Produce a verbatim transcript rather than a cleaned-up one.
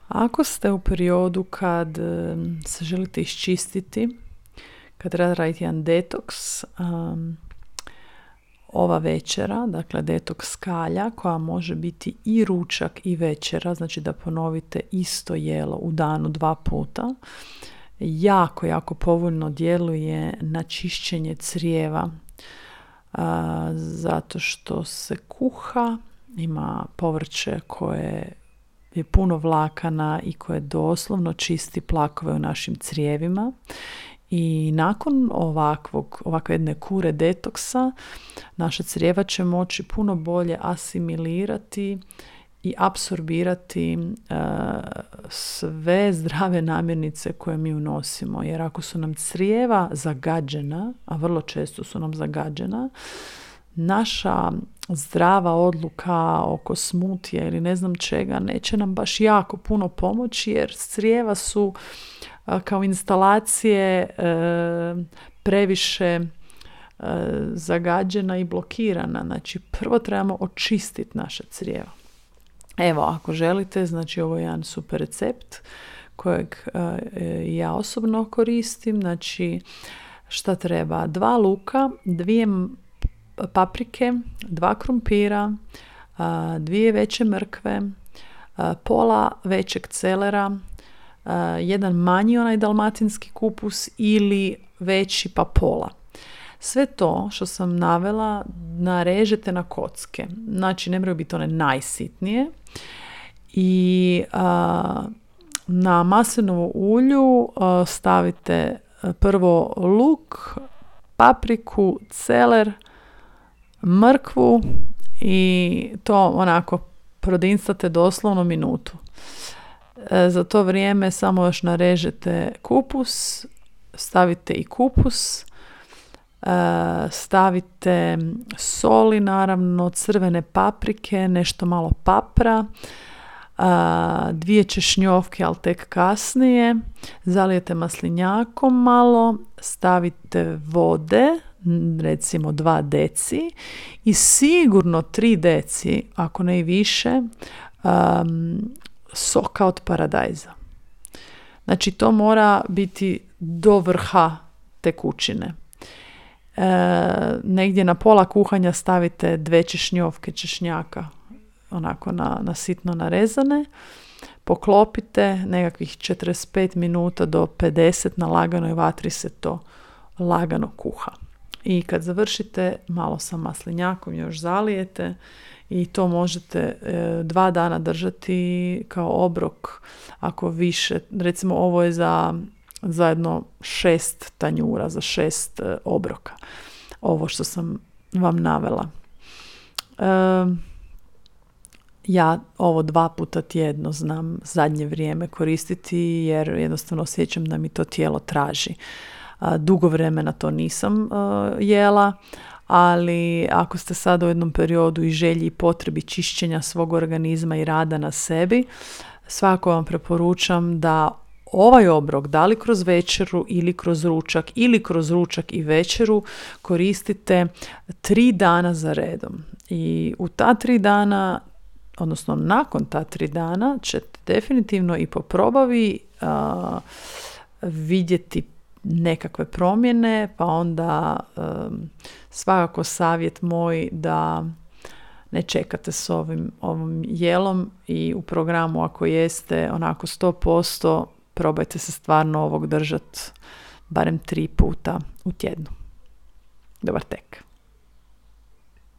Ako ste u periodu kad um, se želite iščistiti, kad treba raditi jedan detoks, um, ova večera, dakle detoks kalja, koja može biti i ručak i večera, znači da ponovite isto jelo u danu dva puta, jako, jako povoljno djeluje na čišćenje crijeva, a, zato što se kuha, ima povrće koje je puno vlakana i koje doslovno čisti plakove u našim crijevima. I nakon ovakvog, ovakve jedne kure detoksa, naša crijeva će moći puno bolje asimilirati i apsorbirati uh, sve zdrave namirnice koje mi unosimo. Jer ako su nam crijeva zagađena, a vrlo često su nam zagađena, naša zdrava odluka oko smutija ili ne znam čega neće nam baš jako puno pomoći, jer crijeva su uh, kao instalacije uh, previše uh, zagađena i blokirana. Znači, prvo trebamo očistiti naše crijeva. Evo, ako želite, znači ovo je jedan super recept kojeg uh, ja osobno koristim. Znači, šta treba? Dva luka, dvije paprike, dva krumpira, uh, dvije veće mrkve, uh, pola većeg celera, uh, jedan manji onaj dalmatinski kupus ili veći pa pola. Sve to što sam navela narežete na kocke. Znači, ne moraju biti one najsitnije. I a, na maslinovu ulju a, stavite prvo luk, papriku, celer, mrkvu i to onako prodinstate doslovno minutu. E, za to vrijeme samo još narežete kupus, stavite i kupus, stavite soli, naravno, crvene paprike, nešto malo papra, dvije češnjovke, ali tek kasnije, zalijete maslinjakom malo, stavite vode, recimo dva deci i sigurno tri deci, ako ne i više, um, soka od paradajza. Znači, to mora biti do vrha tekućine. E, negdje na pola kuhanja stavite dve češnjovke češnjaka onako na, na sitno narezane, poklopite nekakvih četrdeset pet minuta do pedeset, na laganoj vatri se to lagano kuha. I kad završite, malo sa maslinjakom još zalijete i to možete e, dva dana držati kao obrok, ako više, recimo ovo je za zajedno šest tanjura, za šest e, obroka. Ovo što sam vam navela. E, ja ovo dva puta tjedno znam zadnje vrijeme koristiti, jer jednostavno osjećam da mi to tijelo traži. E, dugo vremena to nisam e, jela, ali ako ste sada u jednom periodu i želji i potrebi čišćenja svog organizma i rada na sebi, svako vam preporučam da ovaj obrok, da li kroz večeru ili kroz ručak ili kroz ručak i večeru, koristite tri dana za redom. I u ta tri dana, odnosno nakon ta tri dana, ćete definitivno i po probavi a, vidjeti nekakve promjene, pa onda a, svakako savjet moj da ne čekate s ovim, ovim jelom i u programu, ako jeste onako sto posto, probajte se stvarno ovog držati barem tri puta u tjednu. Dobar tek.